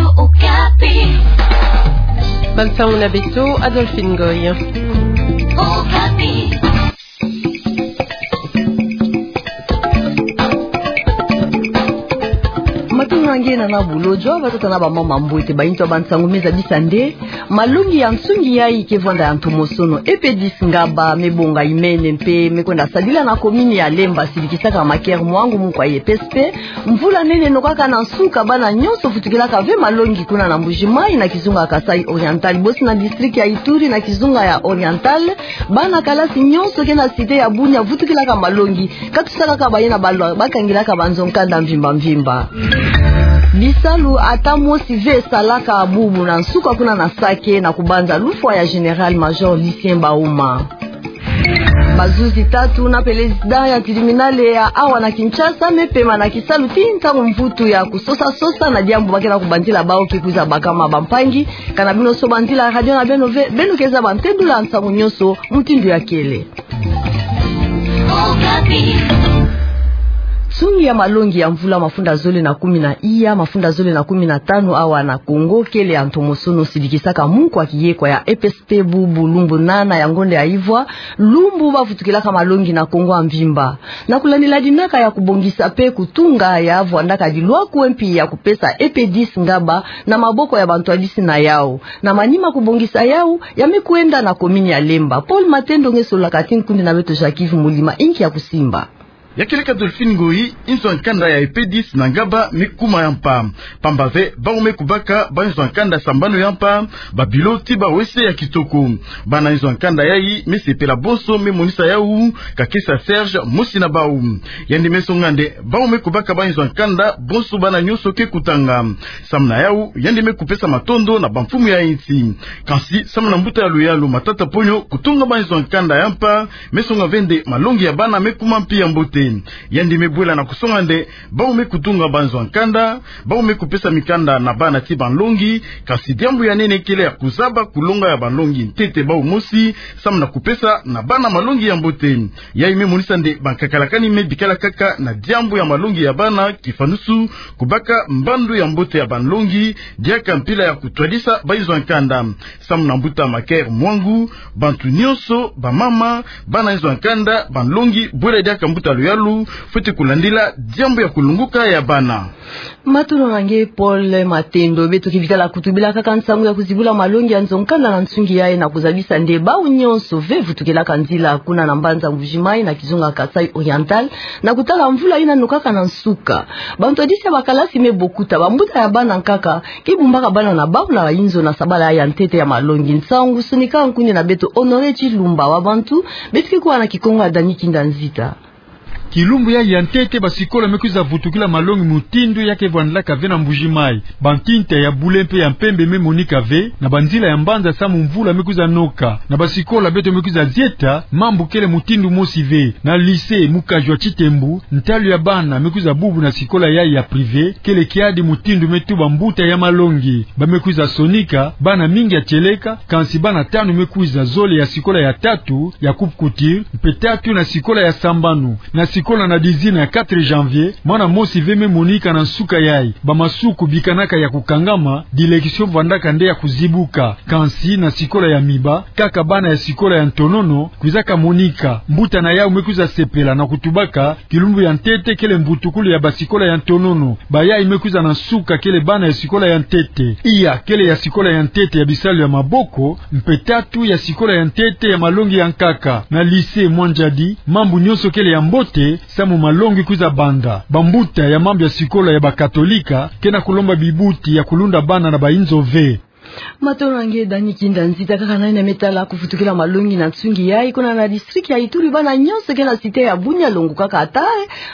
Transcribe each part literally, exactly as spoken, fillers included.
Okapi. Bansangu na beto, Adolphine Ngoy. Okapi. Matondo na nge na na bulo, zwa batata na bamama, mbote. Bayindu ya bansangu me zabisa nde malongi ya nsungi yayi ke vwanda ya ntomosono. EPDIS Ngaba me bonga imene mpe me kwenda sadila na komini ya Lemba, sidikisaka Macaire Mwangu, mukwa ya EPSP. Mvula nene nokaka na nsuka, bana nyonso vutukilaka ve malongi kuna na Mbuji-Mayi, na kizunga ya Kasaï Oriental, bosi na district ya Ituri, na kizunga ya Oriental. Bana kalasi nyonso ke na cité ya Bunia vutukilaka malongi. Katusaka kaka bayina balwa, bakangilaka banzo-nkanda mvimba mvimba. Bisalu ata mosi ve esalaka bubu na nsuka kuna na Sake, na kubanza lufwa ya Général-Major Lucien Bauma. Bazuzi tatu na président ya tribunal ya awa na Kinshasa me pema na kisalu tii ntangu mvutu ya kusosa-sosa na diambu ba ke na kubanzila bawu ke kwiza bakama bampangi. Kana bino soba nzila radio na beno ve, beno ke zaba ntendula nsangu nyonso mutindu ya kele. Nsungi ya malongi ya mvula mafunda zole na kumi na iya, mafunda zole na kumi na tanu awa na Kongo, kele ya ntomosono, sidikisaka mukwa kiyekwa ya EPSP bubu lumbu nana ya ngonda ya ivwa, lumbu bavutukilaka malongi na Kongo ya mvimba. Na kulandila dinaka ya kubongisa mpe kutunga ya vwandaka dilwakwe mpi ya kupesa EPDIS Ngaba na maboko ya bantwadisi na yawu. Na manima kubongisa yawu, ya me kwenda na komini ya Lemba. Paul Matendo nge sololaka ti nkundi na beto Jacques Yves Mulima, inki ya kusimba. Ya kele ka Adolphine Ngoy, inzo ya nkanda ya EPDIS na Ngaba me kuma ya mpa. Pamba ve, bawu me kubaka banzo ya nkanda sambanu ya mpa, babilo ti bawese ya kitoko. Bana inzo ya nkanda yayi me sepela bonso, me monisa yawu Kakesa Serge, mosi na bawu. Yandi me songa nde bawu me kubaka banzo ya nkanda bonso bana nyonso ke kutanga. Samu na yawu, yandi me kupesa matondo na bamfumu ya insi. Kansi, samu na mbuta ya luyalu Matata Ponyo, kutunga banzo ya nkanda ya mpa me songa ve nde malongi ya bana me kuma mpi ya mbote. Yandi me bwela na kusonga nde bawu me kutunga banzo ya nkanda, bawu me kupesa mikanda na bana ti banlongi, kansi diambu ya nene kele ya kuzaba kulonga ya banlongi ntete bawu mosi, samu na kupesa na bana malongi ya mbote. Yayi me monisa nde bankakalakani me bikala kaka na diambu ya malongi ya bana, kifanusu kubaka mbandu ya mbote ya banlongi, diaka mpila ya kutwadisa banzo ya nkanda. Samu na mbuta Macaire Mwangu, bantu nyonso, bamama, bana inzo ya nkanda, banlongi, bwela diaka mbuta luyalu, fwete kulandila diambu ya kulunguka ya bana. Matondo na nge Paul Matendo. Beto ke bikala kutu bila kaka nsangu ya kuzibula malongi ya nzo ya nkanda na nsungi yayi, na kuzabisa nde bawu nyonso ve vutukilaka nzila kuna na mbanza Mbuji-Mayi na kizunga Kasaï Oriental, na kutala mvula yina nokaka na nsuka. Bantwadisi ya bakalasi me bokuta, bambuta ya bana nkaka ke bumbaka bana na bawu na inzo na sabala ya ntete ya malongi. Nsangu sonika nkundi na beto Honoré Tshilumba wa bantu, beto ke kuwa na kikongo ya Dany Kinda Nzita. Kilumbu yayi ya ntete basikola me kwiza vutukila malongi mutindu ya ke vwandilaka ve na Mbuji-Mayi. Bantinta ya bule mpe ya mpembe me monika ve na banzila ya mbanza samu mvula me kwiza noka. Na basikola beto me kwiza zieta mambu kele mutindu mosi ve. Na lycée Mukajwa Tshitembou, ntalu ya bana me kwiza bubu na sikola yayi ya privé, kele kiadi mutindu me tuba mbuta ya malongi. Ba me kwiza sonika bana mingi ya tieleka, kansi bana tanu me kwiza zole ya sikola ya tatu ya coupe-couture, mpe tatu na sikola ya sambanu. Na sikola na dizina ya quatre janvier, mwana mosi ve me monika na nsuka yayi. Bamasuku bikanaka ya kukangama, direction vwandaka nde ya kuzibuka. Kansi na sikola ya miba, kaka bana ya sikola ya ntonono kwizaka monika. Mbuta na yawu me kwiza sepela na kutubaka kilumbu ya ntete kele mbutukulu ya basikola ya ntonono. Bayayi me kwiza na nsuka kele bana ya sikola ya ntete. Iya kele ya sikola ya ntete ya bisalu ya maboko, mpe tatu ya sikola ya ntete ya malongi ya nkaka. Na lycée Mwanjadi, mambu nyonso kele ya mbote, samu malongi kwiza banda. Bambuta ya mambu ya sikola ya bakatolika ke na kulomba bibuti ya kulunda bana na bainzo ve. Matondo na nge Dany Kinda Nzita. Kaka na yina me tala kuvutukila malongi na nsungi yayi, kuna na district ya Ituri, bana nyonso ke na cité ya Bunia, longo kaka ata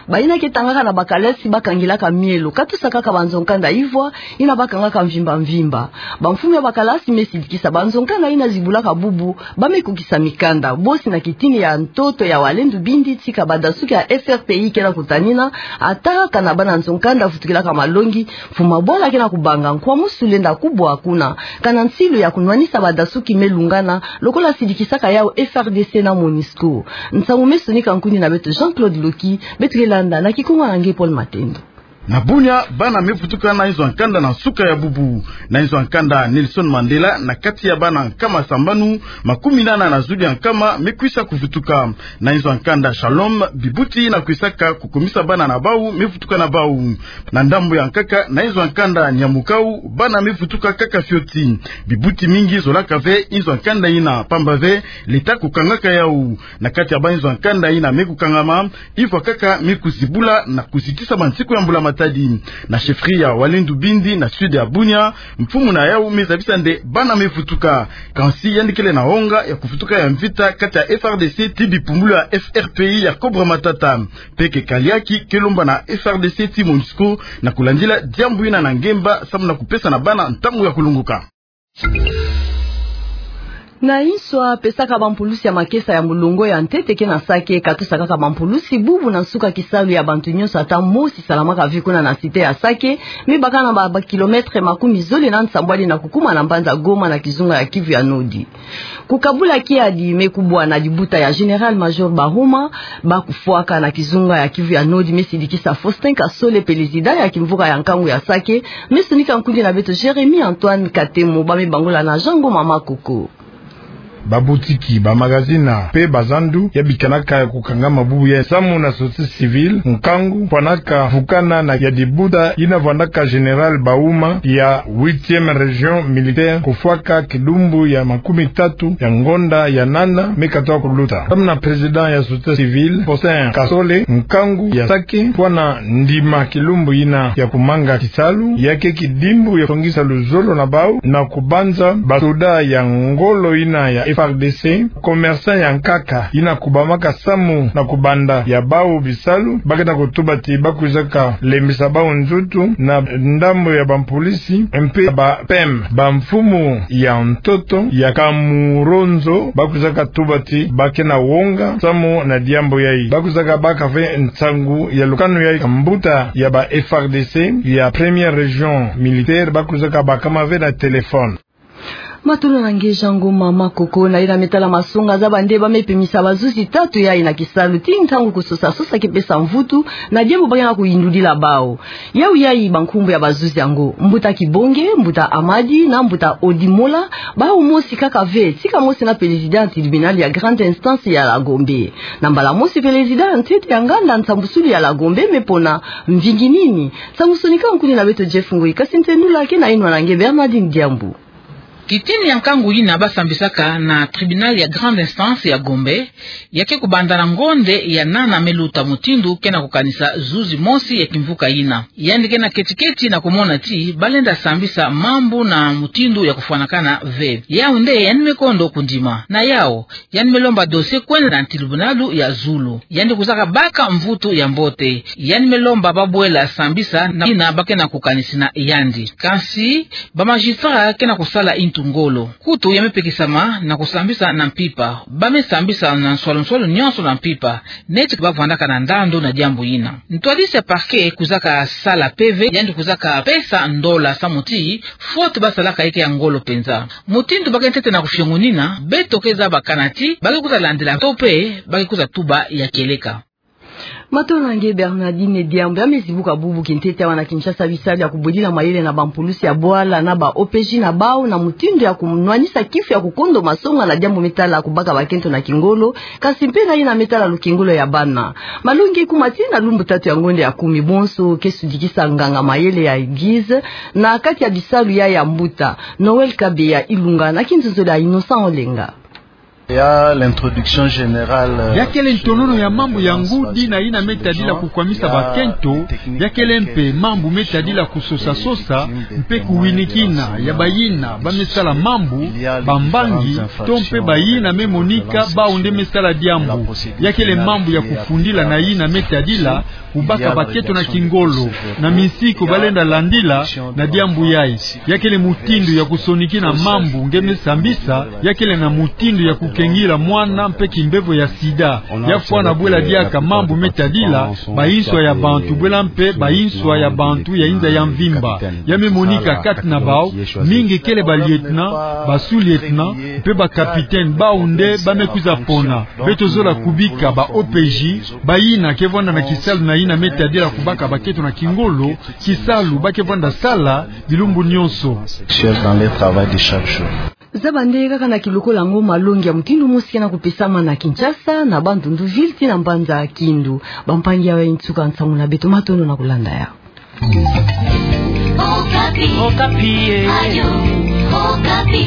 bayina ke tangaka na bakalasi, bakangilaka mielo. Katusa kaka banzo ya nkanda ivwa yina bakangaka mvimba mvimba. Bamfumu ya bakalasi me sidikisa banzo ya nkanda yina zibulaka bubu, ba me kukisa mikanda. Bosi na kitini ya ntoto ya Walendu Bindi, tika badasuki ya F R P I ke na kutanina, ata kana bana nzo ya nkanda vutukilaka malongi, mfumu ya bwala ke na kubanga nkwamusu lenda kubwa kuna. Kana nsilu ya kunwanisa badasuki me lungana, lokola sidikisaka yawu F R D C na MONUSCO. Nsangu me sonika nkundi na beto Jean-Claude Loki, beto ke landa na kikongo ya nge Paul Matendo. Na Bunia, bana me vutuka na inzo ya nkanda na nsuka ya bubu. Na inzo ya nkanda Nelson Mandela, na kati ya bana nkama sambanu, makumi nana na zulu ya nkama me kwisa kuvutuka. Na inzo ya nkanda Shalom, bibuti yina kwisaka kukumisa bana na bau me vutuka na bau. Na ndambu ya nkaka, na inzo ya nkanda Niamukau, bana me vutuka kaka fioti. Bibuti mingi zolaka ve inzo ya nkanda yina, pamba ve Leta kukangaka yau. Na kati ya bainzo ya nkanda yina me kukangama, ivwa kaka me kuzibula na kuzitisa bansiku ya mbula matadi. Na chefferie ya Walendu Bindi na sud ya Bunia, mfumu na yau me zabisa nde bana me vutuka. Kansi yandi kele na wonga ya kuvutuka ya mvita kati ya F R D C ti bipumbulu ya F R P I ya Cobra Matata. Mpe ke kaliaki ke lomba na F R D C ti MONUSCO na kulandila diambu yina na ngemba samu na kupesa na bana ntangu ya kulongoka. Na inso apesaka bampulusi ya makesa ya molongo ya ntete ke na Sake, katosa kaka bampulusi bubu na nsuka kisalu ya bantu nyonso ata mosi salamaka ve kuna na cité ya Sake, me baka na ba, ba kilomètre makumi zole na nsambwadi na kukuma na mbanza Goma na kizunga ya Kivu ya Nord. Kukabula kiadi me kubwa na libuta ya Général-Major Bahoma, ba kufwaka na kizunga ya Kivu ya Nord me sidikisa Faustin Kasole, pelezida ya kimvuka ya nkangu ya Sake, me sonika nkundi na beto Jérémie Antoine Katemo, ba me bangola na Jean Ngoma Makoko. Babutiki, bamagazina, mpe bazandu ya bikanaka ya kukangama bubu ya samu na société civile, nkangu, fwanaka vukana na ya libuta yina vwandaka Général Bahoma ya huitième région militaire kufwaka kilumbu ya makumi tatu ya ngonda ya nana me katoa kuluta. Samu na président ya société civile, Faustin Kasole, nkangu ya Sake, fwana ndima kilumbu yina ya kumanga kisalu, ya ke kidimbu ya kusongisa luzolo na bau, na kubanza basoda ya ngolo yina ya F R D C, commerçant ya nkaka, yina kubamaka samu na kubanda ya bau bisalu, ba ke na kutuba ti ba kwizaka lembisa bau nzutu na ndambu ya bampulisi, mpe ba P M, bamfumu ya ntoto ya Kamuronzo, ba kwizaka tuba ti ba ke na wonga samu na diambu yayi. Ba kwizaka baka ve nsangu ya lukanu yayi, mbuta ya ba F R D C ya première région militaire, ba kwizaka bakama ve na téléphone. Matondo na nge Jean Ngoma Makoko. Na yina me tala masonga, zaba nde ba me pemisa bazuzi tatu yayi na kisalu ti ntangu kusosa sosa ke pesa mvutu na diambu ba ke na kuyindudila bau. Yau yayi bankumbu ya bazuzi yango: mbuta Kibonge, mbuta Amadi, na mbuta Odimola, bau mosi kaka ve, tika mosi na pelezida ya tribunal ya grande instance ya la Gombe. Na mbala mosi pelezida ya ntete ya nganda nsambusulu ya la Gombe me pona mvingi nini? Samu sonika nkundi na beto Jeff Ngoi, kasi ntendula ke na inwa na nge Bernardine Diambu. Kitini ya nkangu yina ba sambisaka na tribunal ya grande instance ya Gombe, ya ke kubanda na ngonde ya nana me luta, mutindu ke na kukanisa zuzi mosi ya kimvuka yina. Yandi ke na keti-keti na kumona ti ba lenda sambisa mambu na mutindu ya kufwanakana ve. Yau nde yandi me kondo kundima. Na yau, yandi me lomba dossier kwenda na tribunal ya zulu. Yandi kwizaka baka mvutu ya mbote. Yandi me lomba ba bwela sambisa na yina ba ke na kukanisina yandi. Kansi, ba magistrat ke na kusala intu ngolo. Kutu ya me pekisama na kusambisa na mpimpa. Ba me sambisa na nswalu-nswalu nyonso na mpimpa, neti ba vwandaka na ndandu na diambu yina. Ntwadisi ya parquet kwizaka sala P V, yandi kwizaka pesa ndola samu ti faute ba salaka ya ke ya ngolo mpenza. Mutindu ba ke ntete na kufiongonina, beto ke zaba kana ti ba ke kwiza landila to mpe ba ke kwiza tuba ya kieleka. Matondo na nge Bernardine Diambu. Ya me zibuka bubu kintete awa na Kinshasa bisalu ya kubwedila mayele na bampulusi ya bwala na ba O P J na bau na mutindu ya kunwanisa kifu ya kukondo masonga na diambu me tala kubaka bakento na kingolo, kasi mpe na yina me tala lukengolo ya bana. Malongi ekuma tii na lumbu tatu ya ngonde ya kumi, bonso ke sudikisa nganga mayele ya église na kati ya bisalu ya ya mbuta. Noël Kabeya Ilunga na kinzonzolo ya Innocent Olenga. Ya l'introduction générale. Ya kele ntonono ya mambu ya ngudi na yina me tadila kukwamisa bakento, ya kele mpe mambu me tadila kusosa-sosa, mpe kuwinikina ya bayina ba me sala mambu, bambangi, to mpe bayina me monika bau nde me sala diambu. Ya kele mambu ya kufundila na yina me tadila kubaka bakento na kingolo, na misiku ba lenda landila na diambu yayi. Ya kele mutindu ya kusonikina mambu nge me sambisa, ya kele na mutindu ya ku kengila mwana mpe kimbevo ya sida. Ya fwana bwela diaka mambu me tadila bayinswa ya bantu bwela mpe bayinswa ya bantu ya inza ya mvimba. Ya me monika kati na bawu, mingi kele ba lieutenant, ba sous-lieutenant, mpe ba capitaine, bawu nde ba me kwiza pona. Beto zola kubika ba O P J, bayina ke vwanda na kisalu na yina me tadila kubaka baketo na kingolo, kisalu ba ke vwanda sala bilumbu nyonso. Chef dans leur travail de chaque jour. Zaba nde kaka na kilokola yango malongi ya mutindu mosi ke na kupesama na Kinshasa, na Bandundu ville tii na mbanza Kindu. Bampangi, awa e nsuka nsangu na beto, matondo na kulanda yawu. Okapi. Okapi, eh. Radio Okapi.